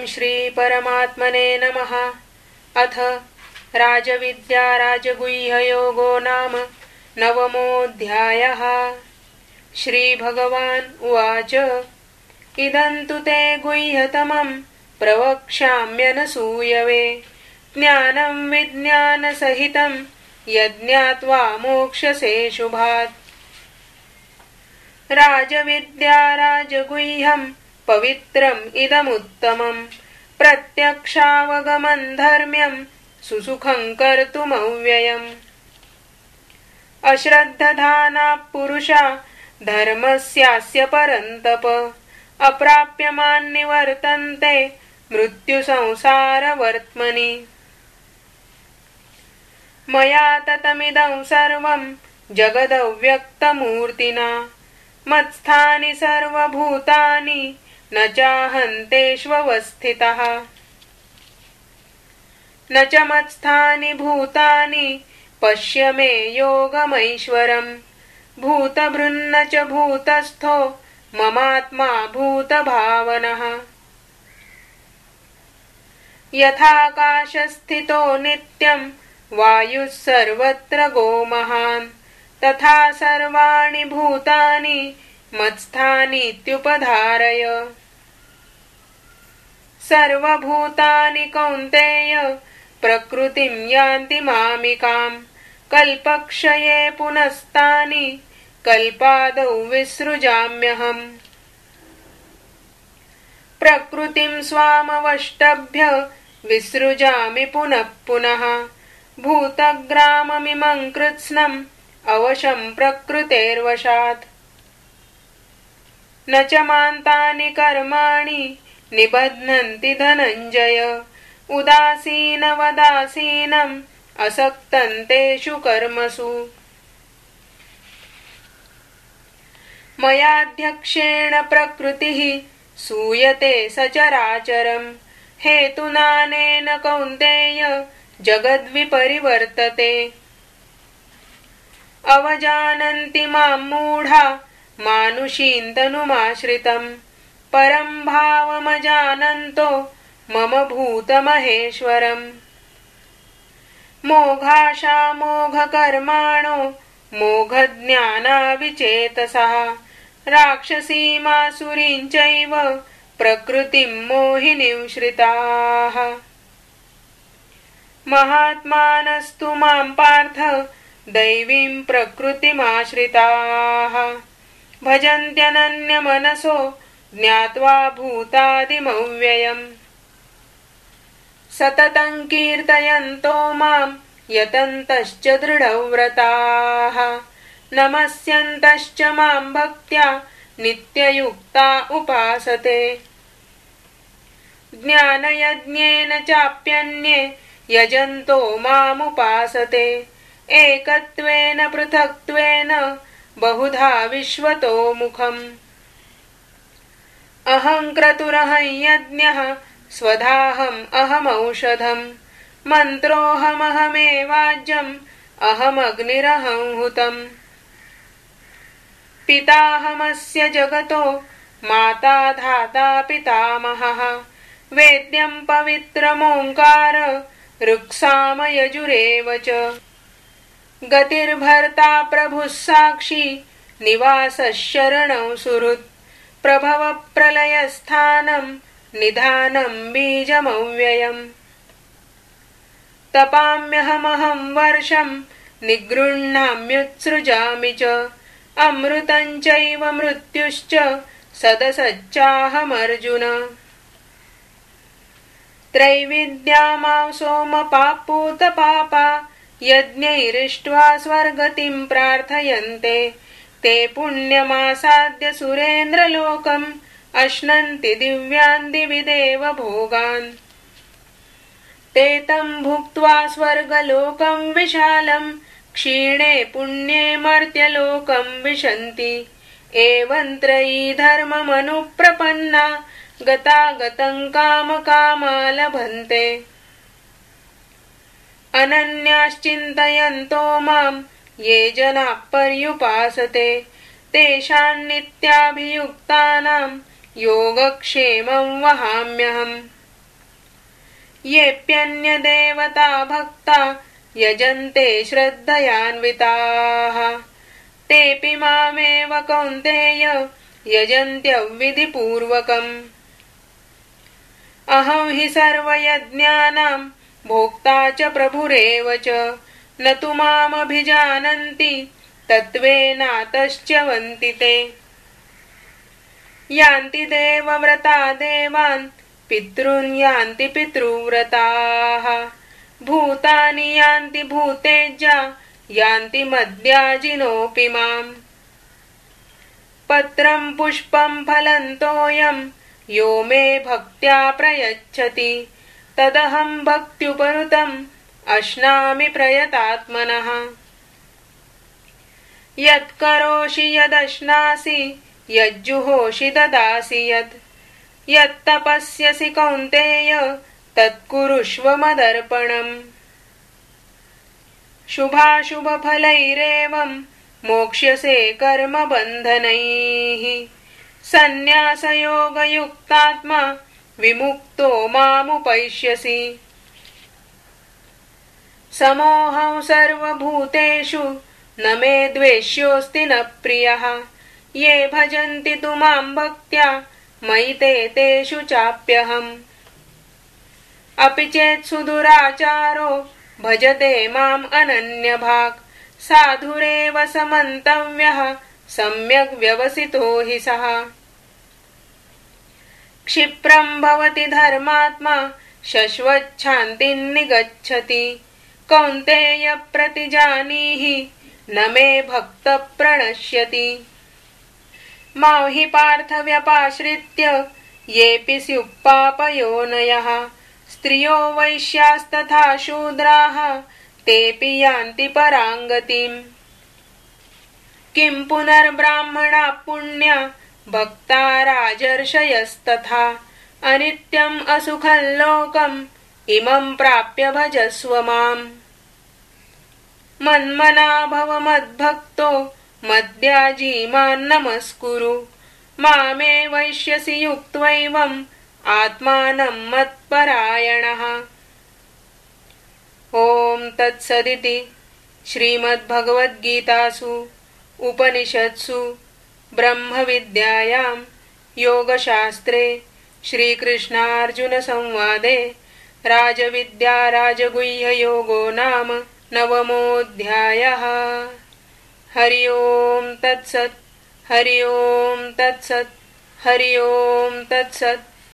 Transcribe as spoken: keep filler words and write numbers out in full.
ॐ श्री परमात्मने नमः। अथ राजविद्या राजगुह्ययोगो नाम नवमोऽध्यायः। श्रीभगवान् उवाच इदं तु ते गुह्यतमं प्रवक्ष्याम्यनसूयवे ज्ञानं विज्ञानसहितं यज्ञात्वा मोक्षसे शुभात्। राजविद्या राजगुह्यं पवित्रम् इदमुत्तमं प्रत्यक्षावगमं धर्म्यं सुसुखं कर्तुमव्ययम्। अश्रद्धधानाः पुरुषा धर्मस्यास्य परन्तप अप्राप्यमान् निवर्तन्ते मृत्युसंसारवर्त्मनि। मया ततमिदं सर्वं जगदव्यक्तमूर्तिना मत्स्थानि सर्वभूतानि न चाहन्तेष्वस्थितः। न च मत्स्थानि भूतानि पश्य मे योगमैश्वरम् भूतभृन्न च भूतस्थो ममात्मा भूतभावनः। यथाकाशस्थितो नित्यं वायुः सर्वत्र गोमहान् तथा सर्वाणि भूतानि मत्स्थानीत्युपधारय। सर्वभूतानि कौन्तेय प्रकृतिं यान्ति मामिकां कल्पक्षये पुनस्तानि कल्पादौ विसृजाम्यहम्। प्रकृतिं स्वामवष्टभ्य विसृजामि पुनः पुनः भूतग्राममिमं कृत्स्नम् अवशं प्रकृतेर्वशात्। न च मान्तानि कर्माणि निबध्नन्ति धनञ्जय उदासीनवदासीनम् असक्तं तेषु कर्मसु। मयाध्यक्षेण प्रकृतिः सूयते सचराचरम् हेतुनानेन कौन्तेय जगद्विपरिवर्तते। अवजानन्ति मां मूढा मानुषीं तनुमाश्रितं परं भावमजानन्तो मम भूतमहेश्वरम्। मोघाशा मोघकर्माणो मोघज्ञानाविचेतसः राक्षसीमासुरीं चैव प्रकृतिं मोहिनीं श्रिताः। महात्मानस्तु मां पार्थ दैवीं प्रकृतिमाश्रिताः भजन्त्यनन्यमनसो ज्ञात्वा भूतादिमव्ययम्। सततं कीर्तयन्तो मां यतन्तश्च दृढव्रताः नमस्यन्तश्च मां भक्त्या नित्ययुक्ता उपासते। ज्ञानयज्ञेन चाप्यन्ये यजन्तो मामुपासते एकत्वेन पृथक्त्वेन बहुधा विश्वतो मुखम्। अहं क्रतुरहं यज्ञः स्वधाहम् अहमौषधम् मन्त्रोऽहमहमेवाज्यम् अहमग्निरहं हुतम्। पिताहमस्य जगतो माता धाता पितामहः वेद्यं पवित्रमोङ्कार ऋक्सामयजुरेव च। गतिर्भर्ता प्रभुः साक्षी निवासः शरणं सुहृत् प्रभवप्रलयस्थानं निधानं बीजमव्ययम्। तपाम्यहमहं वर्षं निगृह्णाम्युत्सृजामि च अमृतं चैव मृत्युश्च सदसच्चाहमर्जुन। त्रैविद्या मां सोमपापूतपापा यज्ञैरिष्ट्वा स्वर्गतिं प्रार्थयन्ते ते पुण्यमासाद्य सुरेन्द्रलोकम् अश्नन्ति दिव्यान् दिवि देव भोगान्। ते तं भुक्त्वा स्वर्गलोकं विशालं क्षीणे पुण्ये मर्त्यलोकं विशन्ति। एवं त्रयी धर्ममनुप्रपन्ना गतागतं कामकामा लभन्ते। अनन्याश्चिन्तयन्तो मां ये जनाः पर्युपासते तेषां नित्याभियुक्तानां योगक्षेमं वहाम्यहम्। येऽप्यन्यदेवता भक्ता यजन्ते श्रद्धयान्विताः तेऽपि मामेव कौन्तेय यजन्त्यविधिपूर्वकम्। अहं हि सर्वयज्ञानां भोक्ता च प्रभुरेव च न तु मामभिजानन्ति तत्त्वेनातश्च्यवन्ति ते। यान्ति देवव्रता देवान् पितॄन् यान्ति पितृव्रताः भूतानि यान्ति भूतेज्या यान्ति मद्याजिनोऽपि माम्। पत्रं पुष्पं फलं तोयं यो मे भक्त्या प्रयच्छति तदहं भक्त्युपनुतम् अश्नामि प्रयतात्मनः। यत्करोषि यदश्नासि यज्जुहोषि ददासि यत् यत्तपस्यसि कौन्तेय तत्कुरुष्व मदर्पणम्। शुभाशुभफलैरेवं मोक्ष्यसे कर्मबन्धनैः सन्न्यासयोगयुक्तात्मा विमुक्तो मामुपैष्यसि। समोऽहं सर्वभूतेषु न मे द्वेष्योऽस्ति न प्रियः ये भजन्ति तु मां भक्त्या मयि ते तेषु चाप्यहम्। अपि चेत् सुदुराचारो भजते माम् अनन्यभाक् साधुरेव समन्तव्यः सम्यग् व्यवसितो हि सः। क्षिप्रं भवति धर्मात्मा शश्वच्छान्तिं निगच्छति कौन्तेय प्रतिजानीहि न मे भक्त प्रणश्यति। मां हि पार्थ व्यपाश्रित्य येऽपि स्युः स्त्रियो वैश्यास्तथा शूद्राः तेऽपि यान्ति पराङ्गतिम्। किं पुनर्ब्राह्मणा पुण्या भक्ता राजर्षयस्तथा अनित्यम् असुखं लोकम् इमं प्राप्य भजस्व माम्। मन्मना भव मद्भक्तो मद्याजी मां नमस्कुरु मामे वैश्यसि युक्त्वैवम् आत्मानं मत्परायणः। ॐ तत्सदिति श्रीमद्भगवद्गीतासु उपनिषत्सु ब्रह्मविद्यायां योगशास्त्रे श्रीकृष्णार्जुनसंवादे राजविद्या राजगुह्ययोगो नाम नवमोऽध्यायः। हरि ओं तत्सत् हरि ओं तत्सत् हरि ओं तत्सत्।